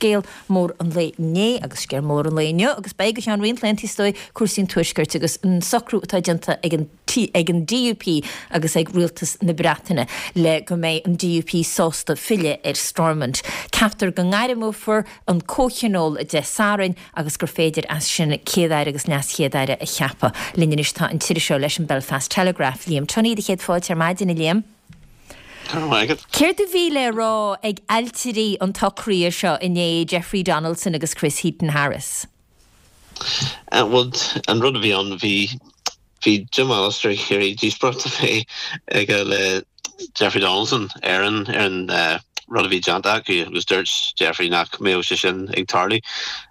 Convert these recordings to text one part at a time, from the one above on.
scéal mór an lae inné agus scéal mór an lae inniu agus beidh go ceann roinnt laethanta is dóigh, cúrsaí an Tuaiscirt agus an socrú atá déanta ag an ag an DUP agus ag Rialtas na Breataine le go mbeidh an DUP sásta filleadh ar Stormont. Ceaptar go ngairmeofar an comhthionól Dé Sathairn agus gur féidir as sin Céad-Aire agus LeasChéad-Aire a cheapadh. Linn anois tá an t-iriseoir leis an Belfast Telegraph, Liam Tunney. Do chéad fáilte ar maidin, a Liam. Go raibh maith agat. Céard a bhí le rá ag ailtirí an tsocraithe seo inné, Jeffrey Donaldson agus Chris Heaton-Harris? Bhuel, an rud a bhí ann, bhí, bhí Jim Allister ag iarraidh díospóireacht a bheith aige le Jeffrey Donaldson ar an, ar an rud a bhí déanta acu agus dúirt Jeffrey nach mbeadh sé sin ag tarlú.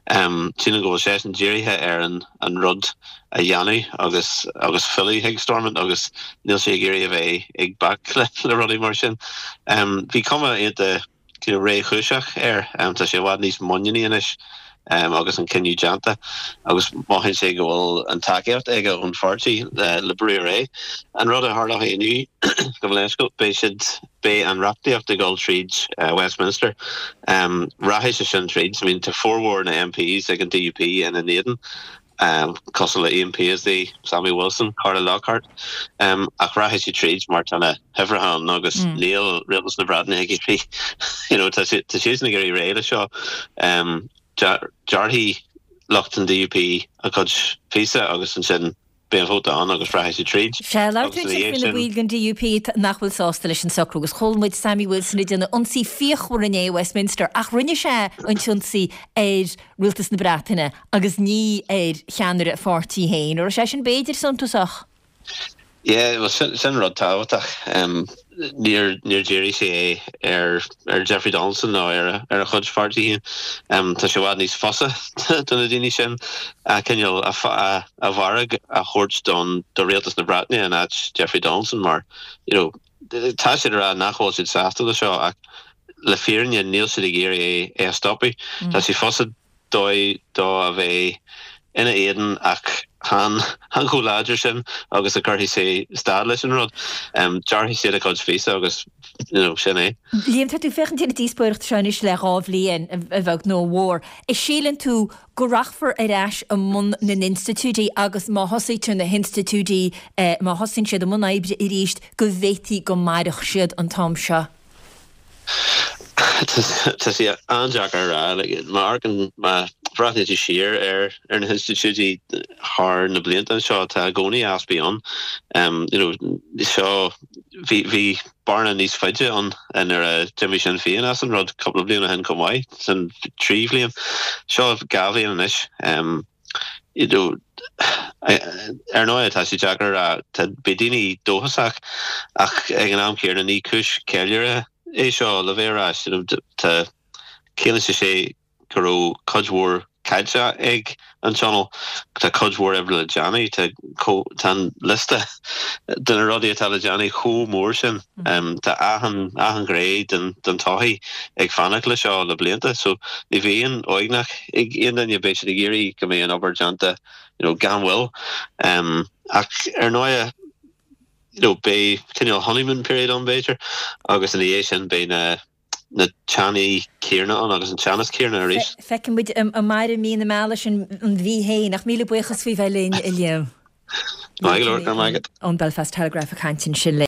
Sílim go bhfuil seisean dírithe ar an, an rud a dhéanamh agus, agus filleadh chuig Stormont agus níl sé ag iarraidh a bheith ag bac le, le rudaí mar sin. Bhí cuma iontach réchúiseach air. Tá sé i bhfad níos muiníní anois agus an cinneadh déanta agus mothaíonn sé go bhfuil an tacaíocht aige ón pháirtí le brú ar aghaidh. An rud a tharlóidh inniu, gabh mo leithscéal, beidh siad, beidh an reachtaíocht ag dul tríd Westminster. Rachaidh sé sin tríd. I mean tá formhór na MPs ag an DUP ina n-éadan. cosúil le Ian Paisley, Sammy Wilson, Carla Lockhart, ach rachaidh sé tríd mar tá na huimhreacha ann agus níl Rialtas na Breataine ag iarraidh, you know, tá siadsan ag iarraidh réidh le seo. Gearrfaidh lucht an DUP a gcuid píosa agus ansin beidh an vóta ann agus rachaidh sé tríd. Sea, labhair tú ansin faoi na baill den DUP nach bhfuil sásta leis an socrú agus chuala muid Sammy Wilson ag déanamh ionsaí fíochmhar inné i Westminster ach rinne sé an t-ionsaí ar Rialtas na Breataine agus ní ar cheannaire a pháirtí féin. An raibh sé sin b'fhéidir suntasach? Yeah, bhuel sin, sin rud tábhachtach. Níor, níor dhírigh sé é ar, ar Jeffrey Donaldson ná ar a, ar a chuid pháirtí féin. Tá sé i bhfad níos fusa do na daoine sin a cineál a, a, a bhfearg a thabhairt don, do Rialtas na Breataine in áit Jeffrey Donaldson mar, you know, tá siad ag rá nach bhfuil siad sásta le seo ach le fírinne níl siad ag iarraidh é a stopadh. Tá sé fusa dóibh dó a bheith ina éadan ach chan chomh láidir sin agus a chuirfidh sé stad leis an rud. Gearrfaidh siad a gcuid phíosa agus you know sin é. Liam, tá tú ag féachaint ar an díospóireacht seo anois le 2 bhliain, a bheag nó a mhór. An síleann tú go rachfar ar ais i mbun na n-institiúidí agus má thosaítear na hinstitiúidí, má thosaíonn siad i mbun oibre arís, go bhféadfaí go mairfeadh siad an t-am seo? Tá sé an-deacair a rá. Má amharcann, má bhreathnaíonn tú siar ar ar na hinstitiúidí thar na blianta anseo, tá i gcónaí easpaí ann. You know, seo, bhí, bhí bearna níos faide ann nuair a d'imigh Sinn Féin as an rud cúpla bliain ó shin chomh maith, sin 3 bhliain. Seo 2 bhliain anois. You know, ar ndóigh tá sé deacair a rá, tá, beidh daoine dóchasach ach ag an am céanna ní cúis ceiliúrtha é seo le bheith ar ais. You know, tá, ciallaíonn sé sé go raibh cuid mhór caillte ag an Tionól. Tá cuid mhór oibre le déanamh. Tá tá an liosta de na rudaí atá le déanamh chomh mór sin. Tá achan achan ghné den den tsochaí ag fanacht le seo le blianta. So ní bhíonn uaigneach ag aon duine. Beidh siad ag iarraidh go mbeidh an obair déanta you know gan mhoill. Ach ar ndóigh you know beidh cineál honeymoon period ann b'fhéidir agus ina dhiaidh sin beidh na na teannaí céanna ann agus an teannas céanna arís. Feicfidh muid an mairfidh mí na meala sin an mhí féin, ach míle buíochas faoi bheith linn, a Liam. Maith go leor, go raibh maith agat. Ón Belfast Telegraph ag caint ansin linn.